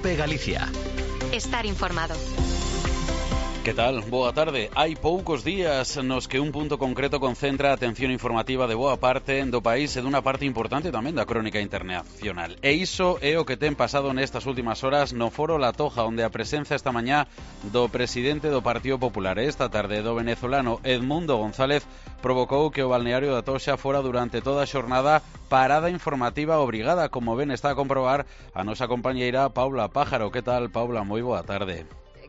COPE Galicia. Estar informado. Que tal? Boa tarde. Hai poucos días nos que un punto concreto concentra a atención informativa de boa parte do país e dunha parte importante tamén da crónica internacional. E iso é o que ten pasado nestas últimas horas no Foro La Toja, onde a presenza esta mañá do presidente do Partido Popular e esta tarde do venezolano Edmundo González provocou que o balneario da Toxa fora durante toda a xornada parada informativa obrigada, como ben está a comprobar a nosa compañeira Paula Pájaro. Que tal, Paula? Moi boa tarde.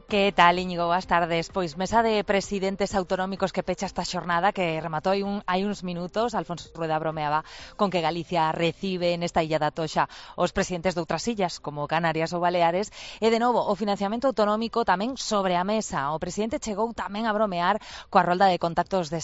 Que tal, Íñigo? Boas tardes. Pois mesa de presidentes autonómicos que pecha esta xornada que rematou hai uns minutos. Alfonso Rueda bromeaba con que Galicia recibe nesta illa da Toxa os presidentes de outras illas, como Canarias ou Baleares, e de novo o financiamento autonómico tamén sobre a mesa. O presidente chegou tamén a bromear coa rolda de contactos de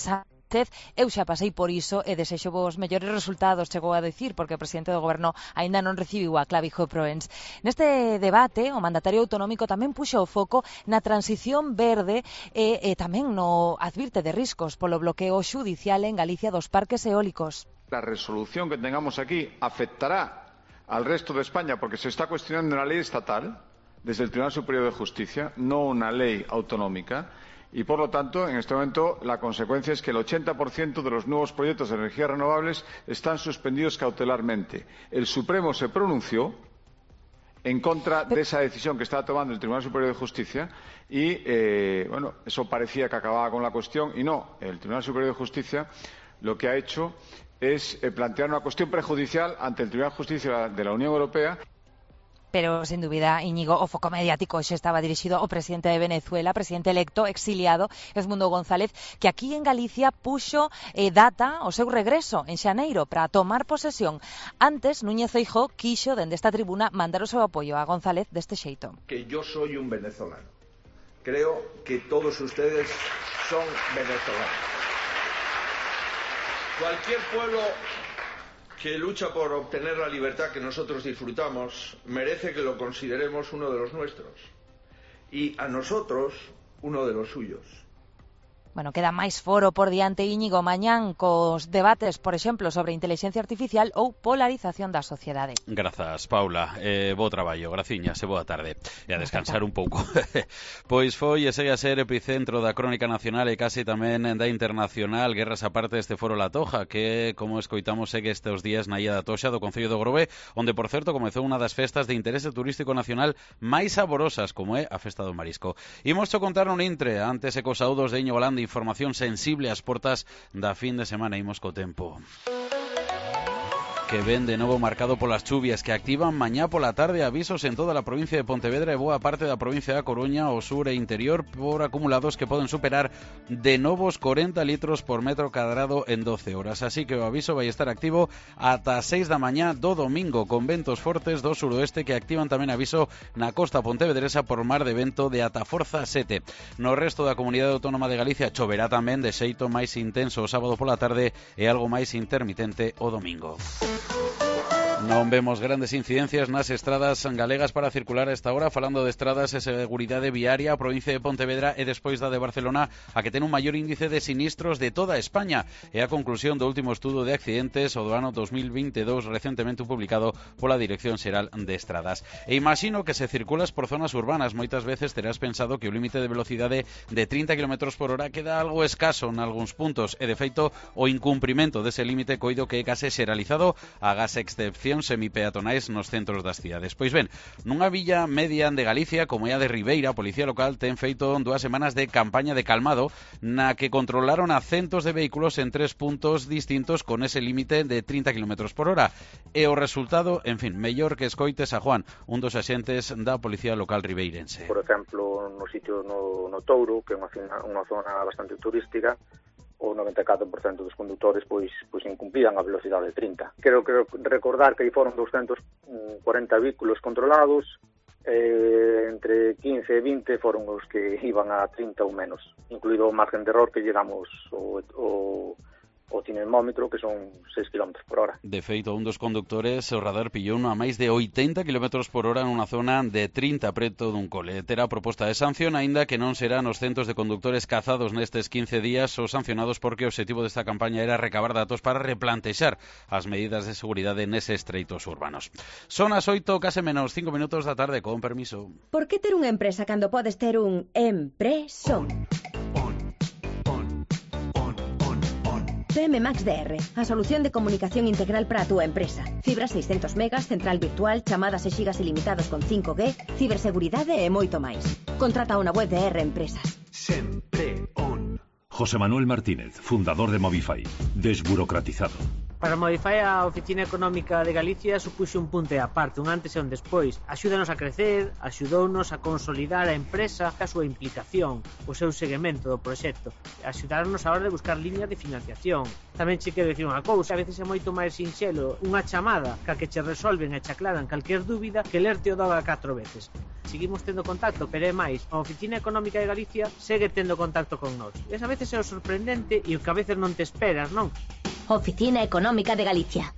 eu xa pasei por iso e desexo vos mellores resultados, chegou a dicir, porque o presidente do goberno aínda non recibiu a Clavijo Proens. Neste debate, o mandatario autonómico tamén puxo o foco na transición verde e tamén no advirte de riscos polo bloqueo xudicial en Galicia dos parques eólicos. La resolución que tengamos aquí afectará al resto de España porque se está cuestionando una ley estatal desde el Tribunal Superior de Justicia, no una ley autonómica. Y, por lo tanto, en este momento, la consecuencia es que el 80% de los nuevos proyectos de energías renovables están suspendidos cautelarmente. El Supremo se pronunció en contra de esa decisión que estaba tomando el Tribunal Superior de Justicia y, eso parecía que acababa con la cuestión y no. El Tribunal Superior de Justicia lo que ha hecho es plantear una cuestión prejudicial ante el Tribunal de Justicia de la Unión Europea. Pero, sin dúbida, Íñigo, o foco mediático xa estaba dirixido ao presidente de Venezuela, presidente electo, exiliado, Edmundo González, que aquí en Galicia puxo data ao seu regreso en xaneiro para tomar posesión. Antes, Núñez Feijóo quixo, dende esta tribuna, mandar o seu apoio a González deste xeito. Que yo soy un venezolano. Creo que todos ustedes son venezolanos. Cualquier pueblo que lucha por obtener la libertad que nosotros disfrutamos, merece que lo consideremos uno de los nuestros y a nosotros uno de los suyos. Bueno, queda máis foro por diante, Íñigo, mañán cos debates, por exemplo, sobre inteligencia artificial ou polarización da sociedade. Grazas, Paula. Bo traballo, graciñas e boa tarde. E a descansar un pouco. Pois foi e segue a ser epicentro da crónica nacional e case tamén da internacional, guerras aparte deste Foro La Toja, que, como escoitamos, segue estes días na illa da Toxa do Concello do Grove, onde, por certo, comezou unha das festas de interese turístico nacional máis saborosas, como é a Festa do Marisco. Imos contar un intre, antes e cos saúdos de Íñigo Landa, información sensible ás portas da fin de semana. Imos co tempo que ven de novo marcado polas chuvias que activan mañá pola tarde avisos en toda a provincia de Pontevedra e boa parte da provincia da Coruña, o sur e interior, por acumulados que poden superar de novos 40 litros por metro cadrado en 12 horas. Así que o aviso vai estar activo ata 6 da mañá do domingo, con ventos fortes do suroeste que activan tamén aviso na costa pontevedresa por mar de vento de ata forza 7. No resto da comunidade autónoma de Galicia choverá tamén de xeito máis intenso o sábado pola tarde e algo máis intermitente o domingo. Non vemos grandes incidencias nas estradas galegas para circular a esta hora. Falando de estradas e seguridade viaria, a provincia de Pontevedra é despois da de Barcelona a que ten un maior índice de sinistros de toda España. É a conclusión do último estudo de accidentes o do ano 2022 recentemente publicado pola Dirección Xeral de Estradas. E imagino que se circulas por zonas urbanas moitas veces terás pensado que o límite de velocidade de 30 km por hora queda algo escaso en algúns puntos e de feito o incumprimento dese límite coido que é case xeralizado agás excepción semipeatonais nos centros das cidades. Pois ben, nunha villa media de Galicia, como é a de Ribeira, a Policía Local ten feito 2 semanas de campaña de calmado na que controlaron a centos de vehículos en 3 puntos distintos con ese límite de 30 km por hora. E o resultado, en fin, mellor que escoites a Juan, un dos axentes da Policía Local ribeirense. Por exemplo, no sitio no Touro, que é unha zona bastante turística, o 94% dos condutores pois incumplían a velocidade de 30. Quero recordar que aí foron 240 vehículos controlados, entre 15 e 20 foron os que iban a 30 ou menos, incluído o margen de error que llegamos o o cinemómetro, que son 6 km por hora. De feito, un dos condutores, o radar pillou a máis de 80 km por hora nunha zona de 30 preto dun cole. Terá proposta de sanción, aínda que non serán os centos de conductores cazados nestes 15 días os sancionados, porque o objetivo desta campaña era recabar datos para replantexar as medidas de seguridade neses estreitos urbanos. Son as 8, case menos 5 minutos da tarde, con permiso. Por que ter unha empresa cando podes ter un empresón? PM Max DR, a solución de comunicación integral para a túa empresa. Fibra 600 megas, central virtual, chamadas e xigas ilimitados con 5G, ciberseguridade e moito máis. Contrata unha web de R Empresas. Sempre on. José Manuel Martínez, fundador de Movify. Desburocratizado. Para Movify, a Oficina Económica de Galicia supuxe un punto e aparte, un antes e un despois. Axúdanos a crecer, axudounos a consolidar a empresa, a súa implicación, o seu seguimento do proxecto, axudarnos a hora de buscar liñas de financiación. Tamén che quero dicir unha cousa, a veces é moito máis sinxelo unha chamada que che resolven e che aclaran calquer dúbida que lerte o doga 4 veces. Seguimos tendo contacto, pero é máis, a Oficina Económica de Galicia segue tendo contacto con nós. E a veces é o sorprendente e o que a veces non te esperas, non? Oficina Económica de Galicia.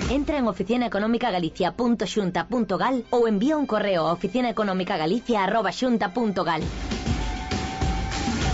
Entra en oficinaeconomicagalicia.xunta.gal ou envía un correo a oficinaeconomicagalicia@xunta.gal.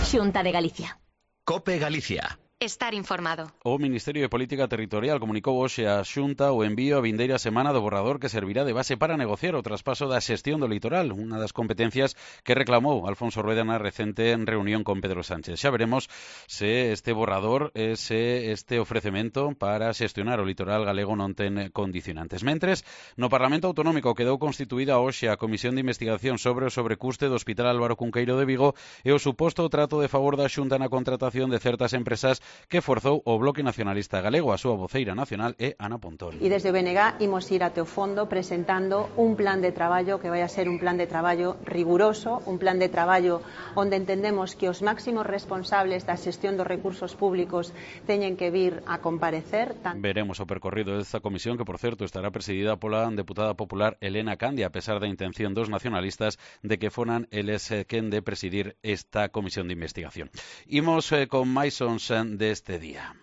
Xunta de Galicia. COPE Galicia. Estar informado. O Ministerio de Política Territorial comunicou hoxe á Xunta o envío a vindeira semana do borrador que servirá de base para negociar o traspaso da xestión do litoral, unha das competencias que reclamou Alfonso Rueda na recente reunión con Pedro Sánchez. Xa veremos se este borrador, se este ofrecemento para xestionar o litoral galego non ten condicionantes. Mentres, no Parlamento Autonómico quedou constituída hoxe a Comisión de Investigación sobre o sobrecuste do Hospital Álvaro Cunqueiro de Vigo e o suposto trato de favor da Xunta na contratación de certas empresas que forzou o Bloque Nacionalista Galego. A súa voceira nacional é Ana Pontón. E desde o BNG imos ir até o fondo presentando un plan de traballo que vai a ser un plan de traballo riguroso, un plan de traballo onde entendemos que os máximos responsables da xestión dos recursos públicos teñen que vir a comparecer. Veremos o percorrido desta comisión, que por certo estará presidida pola deputada popular Elena Candia, a pesar da intención dos nacionalistas de que foran eles quen de presidir esta comisión de investigación. Imos con máis sons deste día.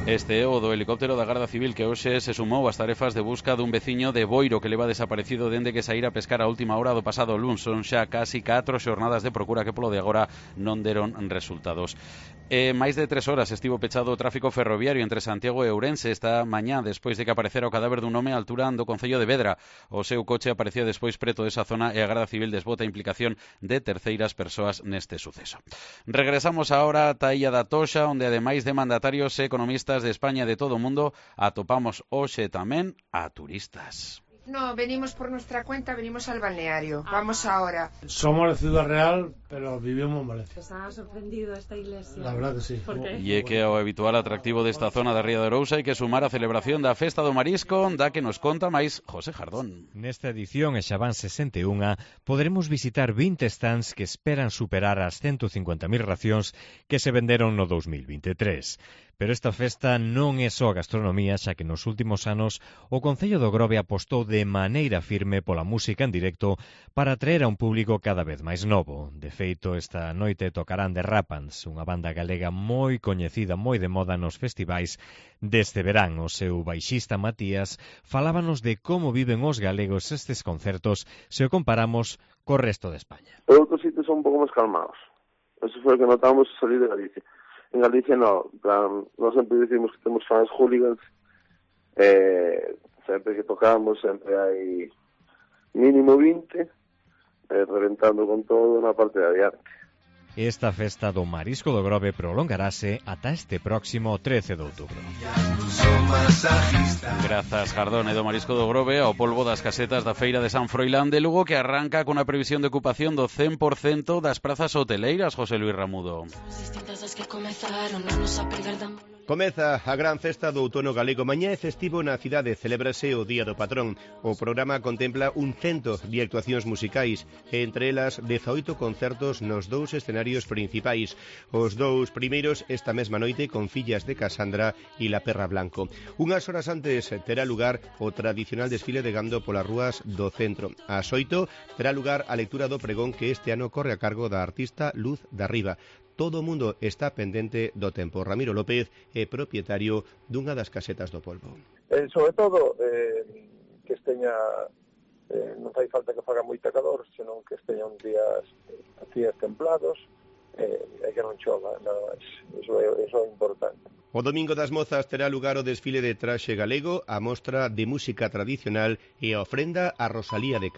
Este é o do helicóptero da Garda Civil que hoxe se sumou ás tarefas de busca dun veciño de Boiro que leva desaparecido dende que saíra a pescar a última hora do pasado luns. Son xa casi 4 xornadas de procura que polo de agora non deron resultados. Máis de 3 horas estivo pechado o tráfico ferroviario entre Santiago e Ourense esta mañá despois de que aparecera o cadáver dun home á altura do concello de Vedra. O seu coche aparecía despois preto desa zona e a Garda Civil desbota a implicación de terceiras persoas neste suceso. Regresamos agora ata a Illa da Toxa, onde ademais de mandatarios e economistas de España e de todo o mundo, atopamos hoxe tamén a turistas. No, venimos por nuestra cuenta, venimos al balneario. Vamos ahora. Somos de Ciudad Real, pero vivimos en Valencia. ¿Está sorprendido esta iglesia? La verdad que sí. ¿Por qué? E é que ao habitual atractivo desta zona da Ría de Arousa hai que sumar a celebración da Festa do Marisco, da que nos conta máis José Jardón. Nesta edición, e xa van 61, poderemos visitar 20 stands que esperan superar as 150.000 racións que se venderon no 2023. Pero esta festa non é só gastronomía, xa que nos últimos anos o Concello do Grove apostou de maneira firme pola música en directo para atraer a un público cada vez máis novo. De feito, esta noite tocarán The Rapans, unha banda galega moi coñecida, moi de moda nos festivais deste verán. O seu baixista Matías falábanos de como viven os galegos estes concertos se o comparamos co resto de España. Outros sitios son un pouco máis calmados. Eso foi o que notamos salir de Galicia. En Galicia no, nós sempre dicimos que temos fans hooligans, sempre que tocamos sempre hai mínimo 20, reventando con todo na parte de adiante. Esta festa do Marisco do Grove prolongarase ata este próximo 13 de outubro. Grazas, Jardón. E do Marisco do Grove ao polvo das casetas da Feira de San Froilán de Lugo, que arranca con a previsión de ocupación do 100% das prazas hoteleiras, José Luis Ramudo. Comeza a gran festa do outono galego. Mañá é festivo na cidade, celébrase o Día do Patrón. O programa contempla un 100 de actuacións musicais, e entre elas 18 concertos nos dous escenarios principais. Os dous primeiros esta mesma noite con Fillas de Casandra e La Perra Blanco. Unhas horas antes terá lugar o tradicional desfile de gando polas rúas do centro. Ás 8 terá lugar a lectura do pregón que este ano corre a cargo da artista Luz da Riba. todo o mundo está pendente do tempo. Ramiro López é propietario dunha das casetas do Polvo. Sobre todo, que esteña, non fai falta que faga moita calor, senón que esteñan días templados, e que non chova, nada máis. Eso é importante. O Domingo das Mozas terá lugar o desfile de traxe galego, a mostra de música tradicional e a ofrenda a Rosalía de